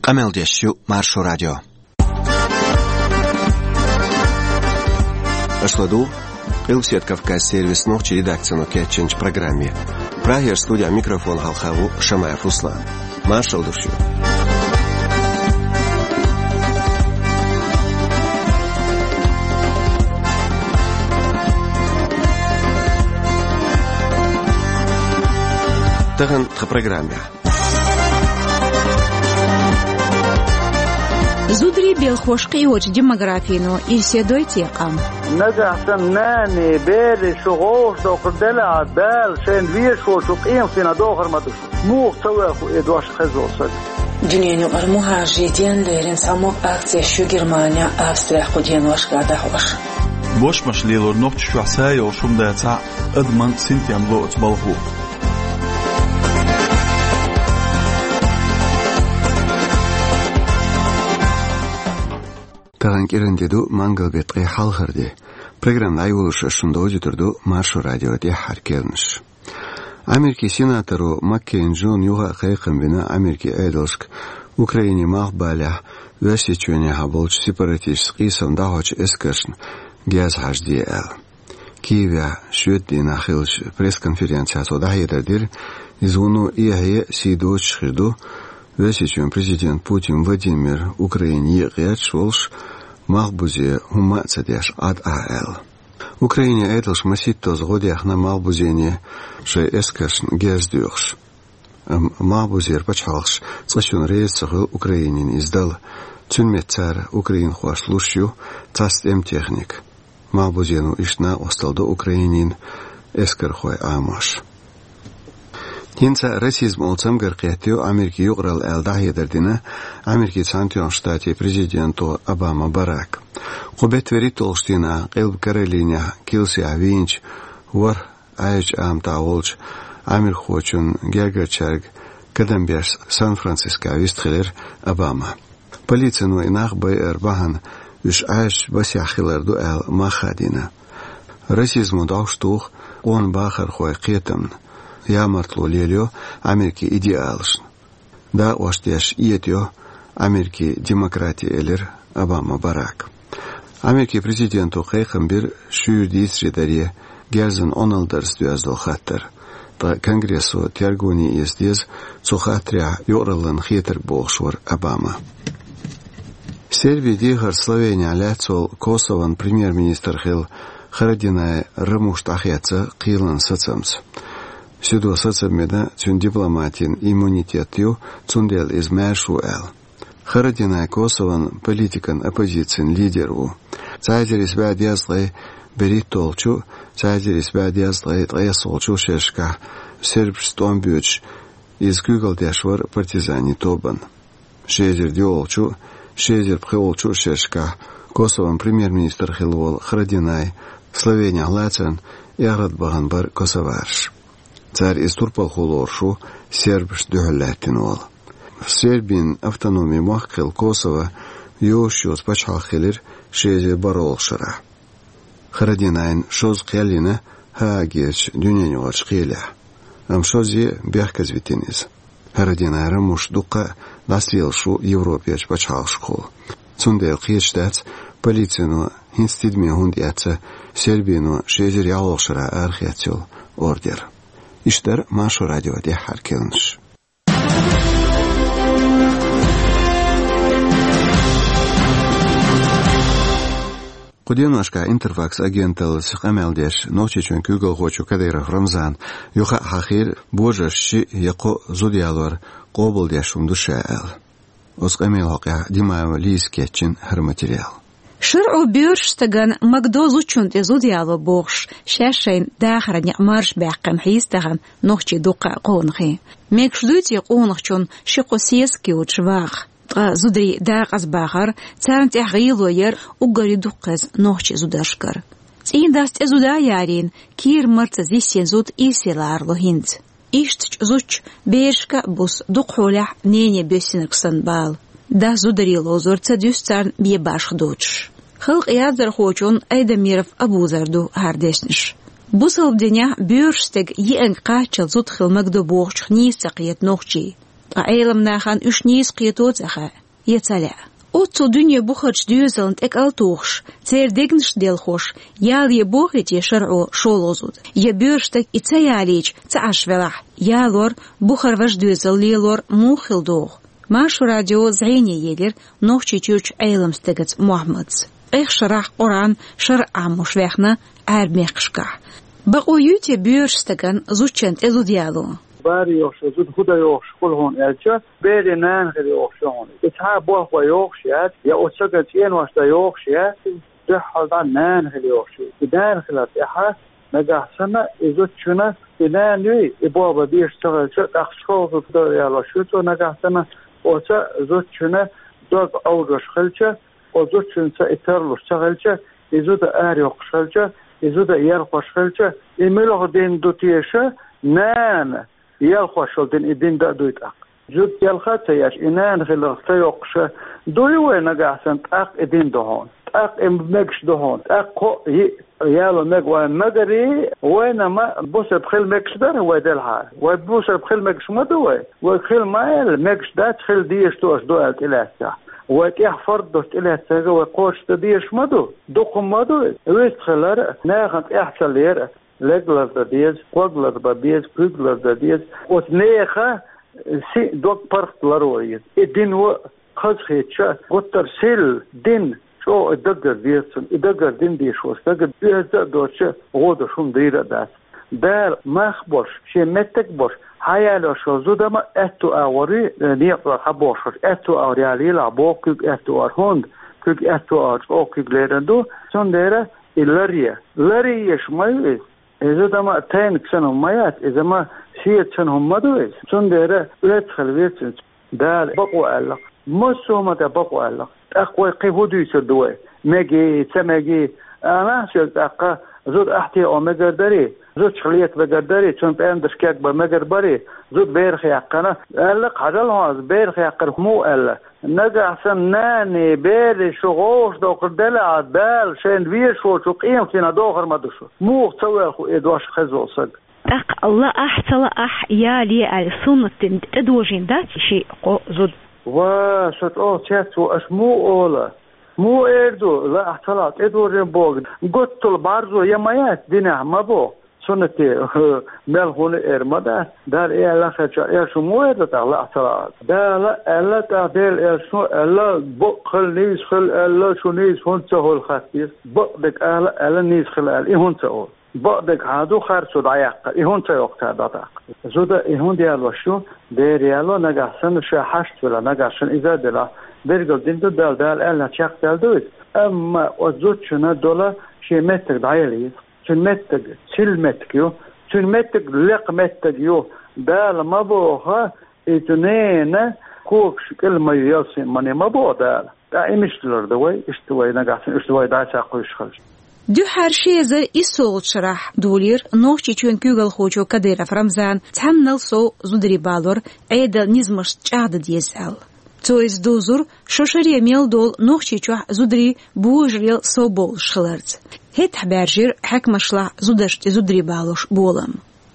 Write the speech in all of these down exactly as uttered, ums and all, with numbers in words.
Къамел деш ю Маршо радио. Аша ладугӀу Къилбаседа Кавказан сервисан нохчийн редакцино кечйинчу программе. Прагера студехь микрофон хьалха ву Шамаев Руслан. Маршалла ду шуьга. Тахана тхан программехь. Зударий, белхош кхиочу демографино ирсе дой те къам? Нагахь санна нанеи бераши шу гӀовш доккхур делахь, Дала шайна везачу къематдийнахь дохар ма ду шу. Муха ца ваьху и дош хезо сага? Дуьненан юкъара мухӀажарийн ден лерина цхьаммо акцеш ю Германехь, Австрехь кху деношкахь дӀахьош. Бошмаш лелор нохчашкахь са йолуш хӀума дацахь а, адаман синтем ло оцу балхо. Тахана кӀиран де ду, мангал беттан ткъе хьалхара де. Программа дӀайолош ас шуна довзуьйтур ду Маршо радион тӀаьххьара керланаш. Америкин сенаторо Маккейн Джона юха а кхайкхам бина Америкин Ӏедалшка Украинин малхбалехь Оьрсийчоьнехьа болчу сепаратисташца къийсам дӀахьочу эскаршна герз хьажаде аьлла. Киевехь шоьтан дийнахь хиллачу пресс-конференцехь цо дӀахьедар дира, иза вуно эхье а, сий доцуш а хир ду, Оьрсийчоьнан президент Путин Владимир Украине екъа гӀерташ волуш, малхбузе хӀумма а ца деш Ӏад ахьа аьлла. Украинин Ӏедалша масийттаза гӀо дехна малхбузене шайн эскаршна герз доьхуш. Амма малхбузера пачхьалкхаш цкъачунна реза ца хуьлу Украинина иза дала. Цуьнан метта цара украинхошна луш ю цхьацца тӀеман техника. Малхбузено иштта накъосталла до Украинин эскархойн Ӏамош. ХӀинца расизм олу цамгар кхеттайо Америкин юкъаралла аьлла дӀахьедар дина Америкин Цхьаьнатоьхначу Штатийн президенто Обама Барака. Кху беттан вуьрхӀитталгӀачу дийнахь Къилба Каролинехь килсехь вийначу ворхӀ Ӏаьржачу Ӏаматехь волчу америкахочун гергарчаьрга кадам беш Сан-Францискохь вистхилира Обама. Полицино и нах байар бахьана уьш Ӏаьржачу басехь хилар ду аьлла мах а дина. Расизмо дӀовш туху къона бахархойн кхетамна, ямартло лелайо Америкин идеалашна. Дакъош деш этайо Америкин демократи, элира Обама Барака. Америкин президенто кхайкхам бира шуьйра дийцаре даре герзан Ӏуналла дарца доьзна долу хаттар. Ткъа Конгрессо тергоне эца деза цу хаттарехь юкъараллина хетарг, бохуш вара Обама. Сербин дехар Словенехь лаьцна волу Косовон премьер-министр хилла Харадинай Рамуш дӀахецна кхелан сацамца. Суьдо сацам бина, цуьнан дипломатин иммунитет ю, цундела иза маьрша ву аьлла. Харадинай Косовон политикан оппозицин лидер ву. Цхьа эзар исс бӀе дезткъе берхӀитталгӀачу, цхьа эзар исс бӀе дезткъе ткъайоьсналгӀачу шерашкахь сербашца тӀом боьдуш, иза куьйгалла деш вара партизанийн тобанна. Ши эзар диъолгӀачу, ши эзар пхоьалгӀачу шерашкахь Косовон премьер-министр хилла волу Харадинай Словенехь лацарна эгӀрат бахана бара косовараш. Цара иза турпалхо лоруш ву, сербашна дуьхьал лаьттина волу. Сербин автономин мохк хилла Косово йозуш йоцу пачхьалкх хилира ши эзар бархӀалгӀачу шарахь. Харадинайна шозза кхел йина Гаагерчу дуьненаюкъарчу кхелехь, амма шозза бехказавитина иза. Харадинай Рамуш дуккха а дӀасалелаш ву Европерчу пачхьалкхашкахула. Цундела кхеташ дац, полицино хӀинца тидаме хӀунда эцна Сербино ши эзар ялхолгӀачу шарахь арахецна йолу ордер. Иштта дара Маршо радион тӀаьххьара керланаш. Кху деношкахь Интерфакс агенталлица къамел деш, Нохчийчоьнан куьйгалхочо Кадыров Рамзана юха а хьахийра, божарша шиъ я кхоъ зуда ялор къобалдеш хӀума ду ша аьлла. Оцу къамелан хьокъехь Димаева Лизас кечйина хӀара материал. ШарӀо боьрша стагана магадо зудчунна тӀе зуда яло бохуш, шаьш шайна дахаран некъ марша баьккхина хьийза тахана нохчийн дуккха а къонахий. Мегаш дуй те къонахчунна ши-кхо сесаг йоцуш ваха? Ткъа зударийн дакъазбахар, царна тӀехь гӀело яр уггаре дукха хеза нохчийн зударшкара. ЦӀийндас тӀе зуда а ярийна, кийра-марца зиссина зуда ирсе ларало хӀинца. Иштта чӀу зудчу берашка а буссу дукха хьолехь нене боьссинарг санна бала. Дас зударий ловзор ца дуьсу царна бен башха доцуш. Халкъан яздархочун Айдамиров Абузара ду хӀара дешнаш. Бусалба динехь боьрша стеган еанга кхаччалц зуда хила магадо бохучух нийса ца кхета нохчий. Ткъа Ӏеламнахана уьш нийса кхетац аьлла, я ца лаьа. Оццул дуьне бухарчу доьзална тӀекӀал а тухуш, церан дегнаш а делхош, ял е бохий те шарӀо шолгӀа зуда, я боьрша стаг и ца ялийча ца Ӏаш велахь, ялор, бухара важа доьзал лелор муха хила догӀу? Маршо радио зӀене елира Нохчийчуьрчу Ӏелам стагаца Мухьаммадца. Ткъех шарахь Къуръан шарӀ Ӏамош ваьхна Ӏаьрба мехкашкахь. Бакъо юй те боьрша стагана зудчунна тӀе зуда яло? Баре йохуш, зуда хӀун дан йохуш хуьлу хьуна аьлча, бере нана хила йохуш ю хьуна. И цхьа болх бан йохуш яц, я оцу стагана цӀенош дан йохуш яц, дуьххьал дӀа нана хила йохуш ю. И нана хилар тӀехь нагахь санна и зудчунна, и нана юй, и болх бан безаш ца хилча, тӀаккха шолгӀа зуда ялош ю цо нагахь санна, оцу зудчунна дог Ӏовжош хилча, оцу зудчуьнца и тарлуш ца хилча, и зуда арайоккхуш хилча, и зуда ялхош хилча, и муьлха дин ду теша, нана ялхош йолу дин, и дин дан а дуй тӀаккха. Зуда ялха а ца еш, и нана хиларх ца йоккхуша, дуй вай нагахь санна, тӀаккха и дин ду хьуна, тӀаккха и мегаш ду хьуна, тӀаккха кхоъ, йиъ яло мега вайн магарий, вайна ма бусалба хила мегаш дара вай делхьара. Вай бусалба хила мегаш ма ду вай. Вай хила ма аьлла, мегаш дац, хила дезаш ду аша ду аьлла тӀелаьцнехь. Вай тӀехь фард долуш тӀелаьцнарг вай кхочушдан дезаш ма ду. Дукха ма ду, вистхилар а, нахана тӀехь ца лер а. Леглар дан деза, кхоглар бан беза, куьйгалар дан деза. Оцу нехан сиъ дог паргӀат ларор еза. И дино хазахетча, гуттар сирла дин чӀогӀа и даггара деза цунна. И даггара дин дешо стага оьзда а доцча, гӀо долуш хӀума дийр а дац. Дала мах а болуш, шен меттиг а болуш, хьаялош йолу зуда ма аьтту агӀор ю, некъа чохь хьан бохуш, аьтту агӀор ялийла ахь боху куьг аьтту агӀор. ХӀунда куьг аьтту агӀор чӀогӀа куьг лерина ду, цундела и ларъе. Ларъеш ма ю иза. Иза дама тайниг санна хӀума ма яц, иза ма шеца санна хӀума ма ду иза. Цундела оьцу хила веза цуьнца. Дала бакъо аьллакх. Массо а хӀума тӀе бакъо аьллакх. ТӀаккха вай кхин хӀун дуьйцур ду вай? Мегий, ца мегий? Анахь соьга тӀаккха зуда ахь тӀе о мегар дарий? Зудчух лета мегар дарий? Цунна пӀендарш кегбан мегар барий? Зуда берах яьккхина? Аьллакх хьажал хьо, берах яьккхира муха аьлла? Нагахь санна нани, бери, шу гӀовгӀаш дохур делахь, Дала шайна везаш волчу къематдийнахь дохур ма ду шу. Муха ца воьлху и дош хеза волу саг? ТӀаккха лаахь, ца лаахь, яле аьлла, суннат дина тӀедожийна дац ши-кхо зуда? Ва, со чӀогӀа цецву, аша муха ола? Муха эр ду, лаахь, ца лаахь, тӀедожийна боху? Гуттал бӀарзо я ма яц динехь, ма боху. Суннате, хӀу, мел хӀуна эр ма дац. Дала и аьлла хезча, эр шу муха эр ду тӀаккха, лаахь, ца лаахь? Дала аьлла, тӀаккха Дела элчано аьлла, бакъ хила, нийса хила аьлла, шу нийса хӀунда ца хуьлу хатта иза? Бакъдерг ала аьлла, нийса хила аьлла, и хӀунда ца олу? Бакъдерг хьан ду харцо дӀаяккха, и хӀунда ца йоккху цара дӀатаккха? Зуда и хӀунда ялош ю? Дера яло, нагахь санна ша хьашт велахь, нагахь санна иза а делахь, билгал дина ду Дала, Дала аьллачу чекхдаьлла ду иза. Амма оцу зудчунна дола шен меттиг дӀаяла еза. Цуьнан меттиг, сирла меттиг ю, цуьнан меттиг лекха меттиг ю. Дала ма боху, и цу ненан когаш кӀел ма ю ялсамане, ма боху Дала. ТӀаккха и мишталур ду вай, иштта вай нагахь санна, иштта вай дӀа ца кхуьйсуш хилча? Дуьххьара ши эзар иссолгӀачу шарахь долийра Нохчийчоьнан куьйгалхочо Кадыров Рамзана цхьаннал сов зударий балор Ӏедалан низамашца чӀагӀдан деза аьлла. Цо иза дузура шо шаре мел долу Нохчийчохь зударий божарел сов бовлуш хиларца. ХӀетахь баьржира хьаькамашлахь зударшна тӀе зударий балош болам.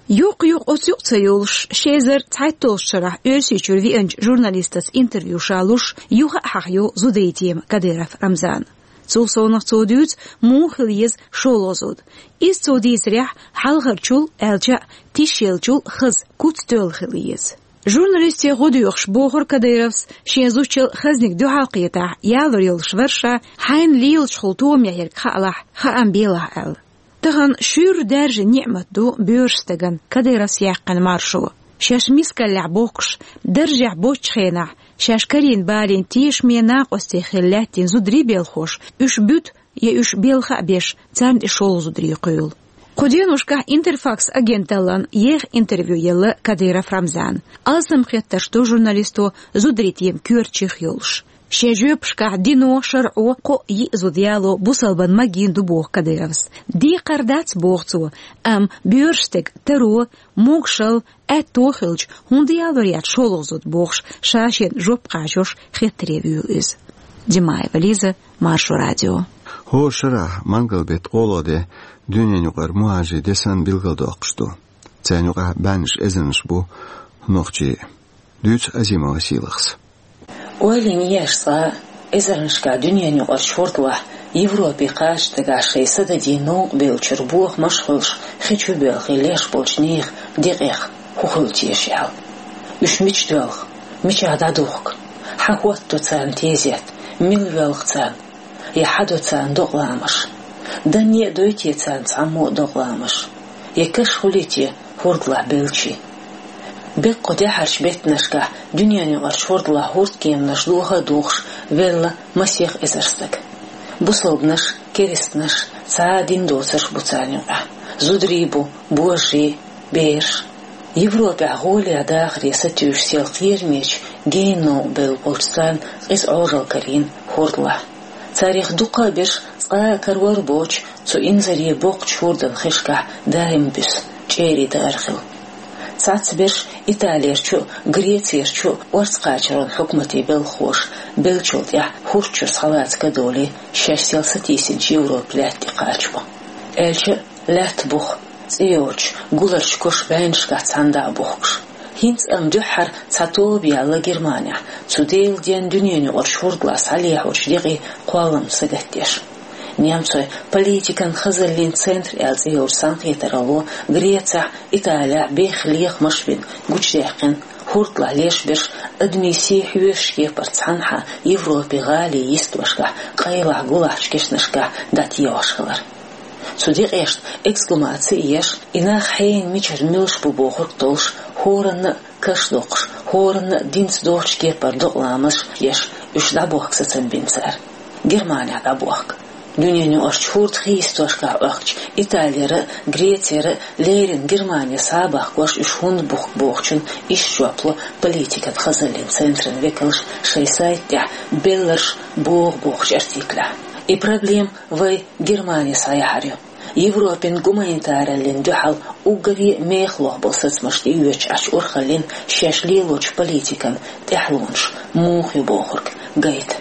Юккъе-юккъе оцу юкъа ца йолуш, ши эзар цхьайтталгӀачу шарахь Оьрсийчуьра веанчу журналистаца интервью ша луш, юха а хьахайо зударий тема Кадыров Рамзана. Цул совнаха цо дуьйцу, муха хила еза шолгӀа зуда. Иза цо дийцарехь, хьалхарчул, аьлча а, тишъеллачул хаза, куц тоьлла хила еза. Журналисте гӀо доьхуш бохура Кадыровс, шен зудчал хазниг дуьхьал кхетахь, ялор йолуш вара ша, хьайна лелачухула томехь ерг хаалахь, хаам белахь аьлла. Тахана шуьйра даьржина ниӀмат ду боьрша стагана Кадыровс яьккхина маршо. Шаьш мискаллехь бохкуш, даржехь боцчу хенахь, шаьш карийна балийна тешаме накъостий хилла лаьттина зударий белхош, уьш буьту, я уьш белха а беш, царна тӀе шолгӀа зударий кхуьйлу. Кху деношкахь Интерфакс агенталлан еха интервью елла Кадыров Рамзана. Алсам хеттарш ду журналисто зударий тема коьртачех йолуш. Шен жоьпашкахь дино, шарӀо кхоъ-йиъ зуда яло бусалбан магийна ду боху Кадыровс. Декхар дац, боху цо, амма боьрша стеган таро, могушалла, аьтто хилча, хӀунда ялор яц шолгӀа зуда бохуш, ша шена жоп кхачош хеттаре вуьйлу иза. Димаева Лиза, Маршо радио. ХӀора шарахь мангал беттан кхоалгӀа де дуьненаюкъара мухӀажирийн де санна билгалдоккхуш ду. Царна юкъахь бӀеннаш эзарнаш бу нохчий. Дуьйцу Азимова Сийлахьас. Ойла йина еш цкъа, эзарнашкахь дуьненаюкъарчу хӀордалахь Европе кхача дагахь шайн са дадийна новкъа бевллачуьра бохамаш а хуьлуш, хи чу боьлхий леш болчу нехан декъех хӀун хуьлу теша аьлла. Уьш мича доьлху, мичахь дӀадухку, хьан хӀотто царна тезет, мила воьлху царна, я хьан до царна докъаламаш? Данне а дой те царна цхьаммо а докъаламаш? Я каш хуьлий те хӀордалахь беллачийн? Беккъа кху тӀаьхьарчу беттанашкахь дуьненаюкъарчу хӀордалахь хӀордкеманаш доха а дохуш велла масех эзар стаг. Бусалбанаш, керстанаш, цхьа а дин доцурш бу царна юкъахь. Зударий бу, божарий, бераш. Европехь гӀоле дахаре сатуьйсуш сел кхерамечу генна новкъа бевлла болчу царна къиза Ӏожалла карийна хӀордалахь. Царех дуккха а берш цкъа а карор а боцуш, цу инзаре боккхачу хӀордан хишкахь даим буьсу, чӀерий даар хилла. Цхьацца берш Италерчу а, Грецерчу а орца кхачаран хьукматийн белхахоша беллачул тӀаьхьа хӀорда чуьра схьалаца ка долий, шаьш сел сатийсинчу Европан лаьтта тӀе кхача бу. Аьлча а, лаьтта бух, цӀе йоцуш, гуларчу кош бӀеннашкахь цхьаьна дӀа а бухкуш. ХӀинца амма дуьххьара цхьа тоба яьлла Германехь, цу Делан денна дуьненаюкъарчу хӀордалахь схьалехьочу декъий кхоллам сагатдеш. Немцойн политикан хазаллин центр аьлла цӀе йолчу цхьаьнакхетаралло Грецехь, Италехь бехха лехамаш а бина гучудаьккхина, хӀордалахь леш берш адамийн сий хьоьшучу кепара цхьанхьа Европин гӀалин йистошкахь къайлахь-гулахьчу кешнашкахь дӀатоьхуш хилар. Цу декъешна эксгумаци а еш, и нах хьенан мичара муьлш бу бохург толлуш, хӀоранна а каш доккхуш, хӀоранна а динца дохучу кепара докъаламаш еш, уьш дӀабохка сацам бина цара. Германехь дӀабохка. Дуьненаюкъарчу хӀордан хи йистошкахь Ӏохкучу Италера а, Грецера а леррина Германе схьа а бахкош уьш хӀунда бухку бохучун иштта жоп ло политикан хазаллин центран векалша шайн сайта тӀехь «Белларш богӀу» бохучу артиклехь. И проблема вай Германе схьаяхьар ю. Европин гуманитараллин дуьхьал уггаре а мехаллох болу сацамаш тӀеоьцуш Ӏачу урхаллин шаьш лелочу политикан тӀаьхьалонаш муха ю бохург гайта.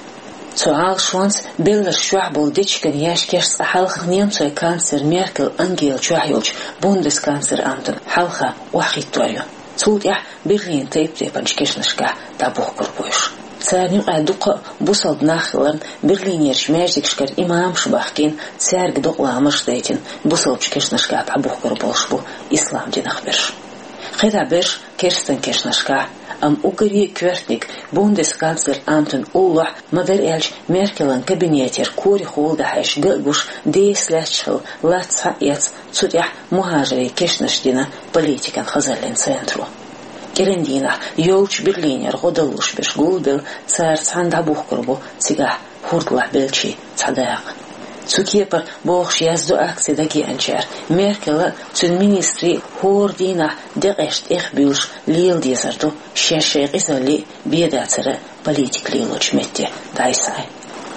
Цу Ӏалашонца Белларш чохь болу дечиган яьшкеш цкъа хьалха немцойн канцлер Меркель Ангела чохь йолчу бундесканцлер амтана хьалха охьахӀиттор ю. Цул тӀаьхьа Берлинан тайп-тайпанчу кешнашкахь дӀабухкур бу уьш. Царна юкъахь дуккха а бусалба нах хиларна, Берлинерчу маьждигашкара имамаш а бахкийна, цаьрга докъаламаш а дайтина, бусалбачу кешнашкахь дӀабухкур болуш бу ислам динах берш. КхидӀа берш керстан кешнашкахь, амма уггаре а коьртаниг бундесканцлер амтана уллохь, ма-дарра аьлча, Меркелан кабинетера корехула дӀахьаьжча ган а гуш, деса лаьтташ хилла лац схьа а эцна, цу тӀехь мухӀажарийн кешнаш дина политикан хазаллин центро. КӀиран дийнахь йолчу Берлинера гӀо даллуш берш гулбелла, цара цхьаьна дӀабухкур бу цигахь хӀордалахь беллачийн цхьа дакъа. Цу кепара бохуш яздо акци дагайеанчара, Меркела а, цуьнан министрийн а хӀора дийнахь декъешна тӀехбуьйлуш лела дезар ду шаьш шайн къизаллий а, бен дацара а политика лелочу метте дӀасахьа.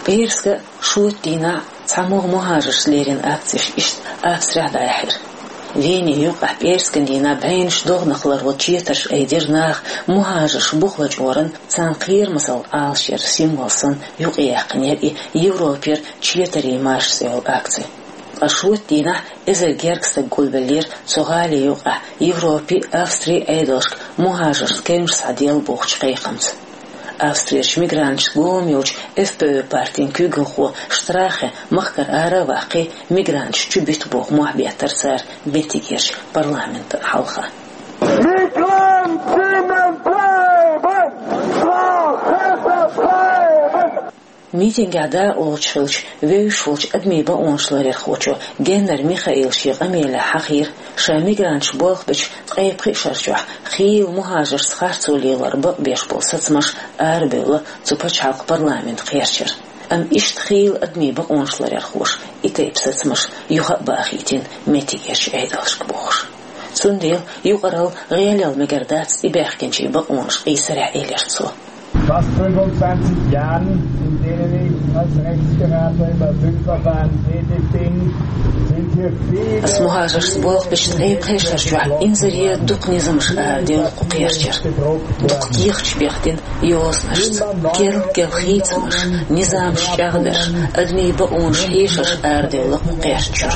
ПӀераска шоьтан дийнахь цхьамогӀа мухӀажаршца леррина акцеш иштта Австрехь дӀаяьхьира. Вене юккъехь пӀераскан дийнахь бӀеннаш догӀанах ларван четарш айдира наха мухӀажарш бух лачкъоран, царна кхерамазалла Ӏалашъяран символ санна юкъаяьккхинера и Европера четарийн марш цӀе йолу акци. Ткъа шоьтан дийнахь эзар гергга стаг гулбеллера цу гӀали юкъахь Европи, Австри Ӏедалшка мухӀажаршна кевнаш схьаделла бохучу кхайкхамца. Австрерчу мигранташца гуламца йолчу ФПÖ партин куьйгалхо Штрахе махкара ара а ваккхий, мигранташ чубита боху мохь беттара цара меттигерчу парламентан хьалха. Migrantinnen bleiben! Frau Hesse bleiben! Митингехь дакъа лоцуш хиллачу вевзаш волчу адамийн бакъонаш ларъярхочо Геннер Михаила шен къамелехь хьахийра, ша мигранташ болх бечу ткъе пхи шар чохь хийла мухӀажаршца харцо лелор бакъбеш болу сацамаш арабевлла цу пачхьалкхан парламентан кхерчара. Амма иштта хийла адамийн бакъонаш ларъярхоша и тайпа сацамаш юха а бахийтина меттигерчу Ӏедалшка бохуш. Цундела юкъаралла гӀелъяла мегар дац тӀебаьхкинчийн бакъонаш къийсарехь, элира цо. Fast fünfundzwanzig Jahren, in denen ich als Rechtsberater im Asylverfahren tätig bin, sind hier viele Ас мухӀажаршца болх бечу ткъе пхи шарчохь инзаре дукха низамаш арадевлла кху кхерчара. Дукха кехаташ бехдина йозанашца. Керла-керла хийцамаш, низамаш чӀагӀдарш, адамийн бакъонаш хьешарш арадевлла кху кхерчара.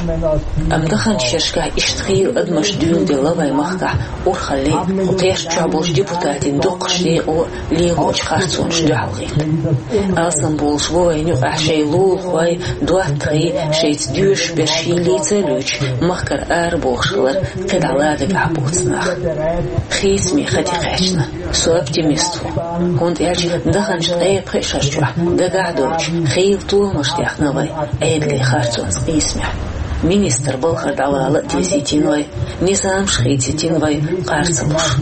Амма даханчу шерашкахь иштта хийла адамаш дуьйладелла вайн махкахь урхаллин, кху кхерчахь болчу депутатийн дукхачу декъо лелочу харцонаш дуьхьалхӀитта. Алсам болуш бу вайна юкъахь шайн лулахой, доттагӀий, шайца доьшуш берш хилийца а луьйчу, махкара арабохуш хилар кхидӀа ладагахь боцу нах. Хийцаме хан тӀекхаьчна. Со оптимист ву, хӀунда аьлча даханчу ткъе пхи шарчохь дагахь а доцуш хийла тохамаш техна вай, Ӏедалан харцонца къийсамехь. Министр балхара дӀавала а дезийтина вай, низамаш хийцийтина вай, къар ца луш.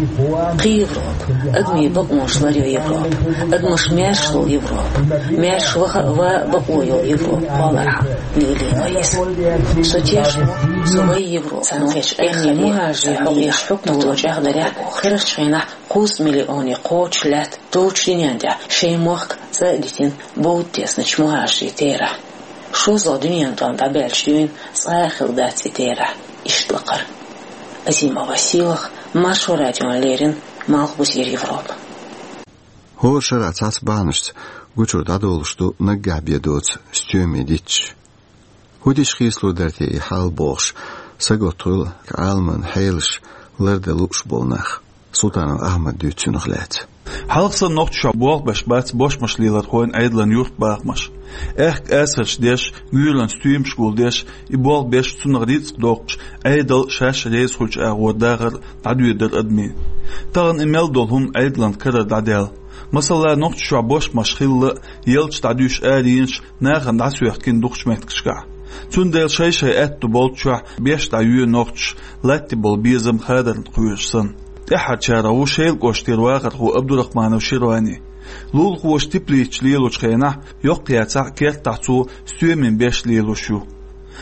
Кхин Европа, адамийн бакъонаш ларъян Европа, адамаш маьрша долу Европа, маьрша ваха а, ван а бакъо йолу Европа кхоллархьама лелийна вай иза. Со тешна ву, со вайн Европа, цхьаьна кхечу къаьххьарийн, хьокъехь хьукмато чӀагӀдарехь, херачу хенахь кхузткъа миллионе кхочуш лаьтта долчу дуьнен тӀехь шайн мохк цӀа а дитина, бовда тесначу мухӀажарийн терахь. ШозлагӀа дуьненан тӀом дӀабаьлча дуьйна цкъа а хилла дац и терахь иштта лакхара. Азимова Сийлаха, Маршо радиона леррина, Малхбузера Европа. ХӀора шарахь цхьацца бахьанашца гучура дӀадолуш ду наггахь бен доцу стоьмийн дитташ. ХӀун дича хийцалур дара те и хьал бохуш, сагатта хуьлу Ӏаламан хьелаш лардан лууш болу нах. Султанов Ахьмада дуьйцу цунах лаьцна. Хьалха санна нохчашкахь болх беш бац бошмаш лелорхойн Ӏедалан юьртбахамаш. Аьхка асарш деш, гуьйранна стоьмаш гулдеш, и болх беш, цунах рицкъ доккхуш, Ӏедал шаьш реза хуьлучу агӀор дахар дӀадоьдура адамийн. Тахана и мел долу хӀума Ӏедалан карара дӀадаьлла. Масала, нохчашкахь бошмаш хилла а, елча дӀадуьйш аренаш нахана дӀасоьхкина дукхачу меттигашкахь. Цундела шай-шай аьтто болччохь беш дӀайоь нохчаша латтий болу безам хадарна кхоьруш санна. ТӀаьххьарчарах ву Шелан кӀоштара вахархо Абдурахманов Ширвани. Лулахоша теплицаш лелочу хенахь, йоккха яцахь, керта тӀехь цо стоьмийн беш лелош ю.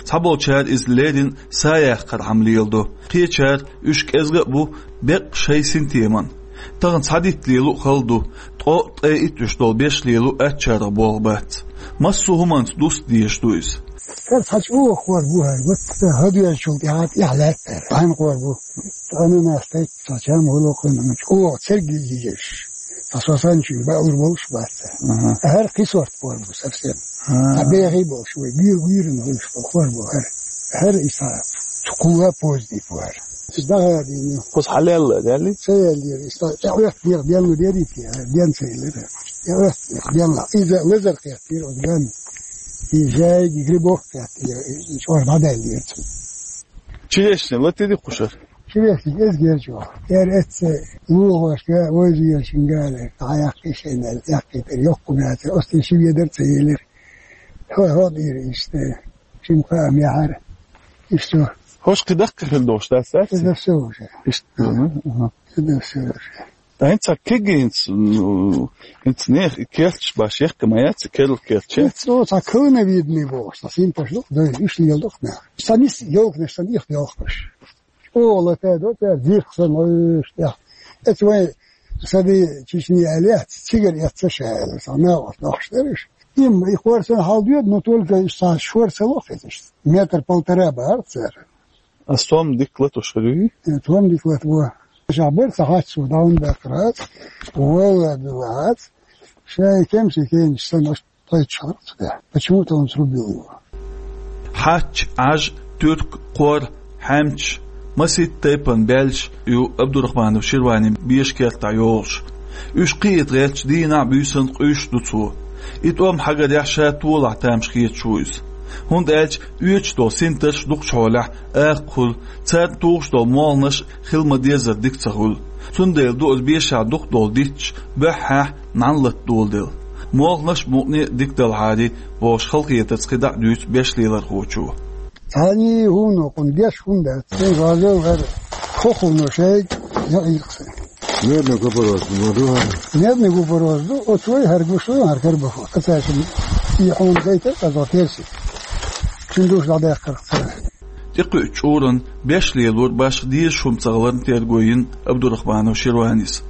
Цхьаболчара иза леррина са яккхархьама леладо, кхечара уьш кӀезга а бу беккъа шайн синтеман. Тахана цхьа дитт лело а хала ду, ткъо а, ткъе итт уьш долу беш лело аттачарах болх бац. Массо а хӀуманца дуста дезаш ду иза. ХӀара цхьа чӀогӀа кхор бу хӀара, вот ца хӀадоьжначул тӀаьхьа тӀехь лаьттара. Цхьаьна кхор бу. Ананас тайпа, цхьа чам гӀуллакх а, чӀогӀа церг йижеш. Цхьа со санна чуьнга баалур болуш бац. Аха. ХӀара кхин сорт кхор бу совсем. Аха. Цхьа бехий болуш вай, гуьйр-, гуьйрана хуьлуш болу кхор бу хӀара. ХӀара и цхьа кхула поздий бу хӀара. Иза дӀахадийна. Кхуза хьалаьлла, даьлли? Ца яьллера, иза тӀе Ӏоьхку дегӀ денна дерриг те, хӀара ден ца елира. ТӀе Ӏоьхку дегӀ денна. Иза лазар кхеттера оцу ган. И жайги грибок кхеттера, и чӀор дӀадаьллера цунна. Черешня латири кхушара? Черешня эзгерчу. Эр эцца лугӀошка, вайза вешин гали, дӀа яккхий шайна, яккхий тера, йоккха мацара, оцу ши ведар ца елира. Хьо-, хьо дийра иштта, шин кхаа мехьара. Иштта. ХӀорш кхин даккха хир долуш дац, дац? Это всё уже. Иштта, ну, ага. Это всё уже. Ткъа хӀинца кегийца, ну, хӀинца нехан и керташ баш яккха ма яц, керла керташ яц. ХӀинца цо цхьа клыновидный бохуш, цхьа синташ ду, дай, уьш леладо нах. Сан нис йолкнаш, сан их йолкнаш. Ола тӀе до, тӀе дирх сан луьйш тӀе. Эца вай саби Чечни аьлла яц, цигара эцца ша аьлла, сан нагӀаш дохуш дерш. Им, и хор сан хьал доьду, но только сан шор ца лоху иза. Метр полтора бахара цара. А стом дика латуш хир юй? Э, стом дика латво. Ша бар ца хьац цо, даун баккхар хац, вала дила хац, шай кемси кенаш санаш тхайчу харц да. Почему-то он срубил его. Хьач, Ӏаж, туьрк, кхор, хьаьмчаш, маситта тайпан баьллаш ю Абдурахманов Ширванин беша кертахь йолуш. Уьш кхиийта гӀерташ дийнахь а, буьйсанна а къуьйсуш ду цо. И тӀом хьагарехь ша толахь тамаш хеташ ву иза. ХӀунда аьлча оьцуш долу синтарш дукхачу хьолехь акха хуьлу, царна тухуш долу молханаш хила ма-деззара дика ца хуьлу. Цундела ду оцу бешахь дукха долу дитташ боьххьехь нӀаьна лата доладелла. Молханаш а, мукъане а дика далахьарий бохуш халахетарца кхидӀа а дуьйцу беш лелорхочо. Цхьаьний хӀума кхунна деш хӀума дац. Шен гӀазал хӀара хохуна шайга яа йиркхи. Медный купорос ма ду хӀара. Медный купорос ду, оцу вай хӀара гуш вай, хӀара карбахо. Аса шин и хьуна гайтар, казо перси. Шин душ дӀадаьккхар цара. ТӀекхуьучу чкъуран беш лелор башха дезаш хӀума ца хиларна терго йина Абдурахманов Ширванис.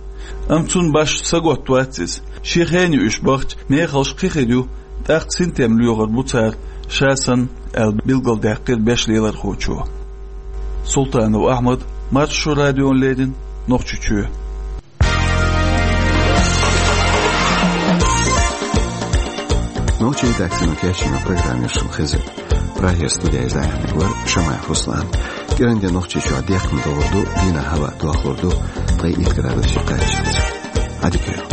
Амма цунна башха саготта вац иза. Шен хене уьш бахча мехаллаш кхин хир ю, тӀаккха синтем лоьхур бу цара ша санна, аьлла билгалдаьккхира беш лелархочо. Султанов Ахьмад, Маршо радиона леррина, Нохчийчоь. Нохчийн редакцино кечйина программа шун хеза. Прагера студера из Ӏамийна вар Шамаев Руслан. КӀиранде Нохчийчохь дехкам догӀур ду, дийнахь хӀаваъ дохлур ду, ткъе итт градусе кхаччалц. Ӏадика йойла.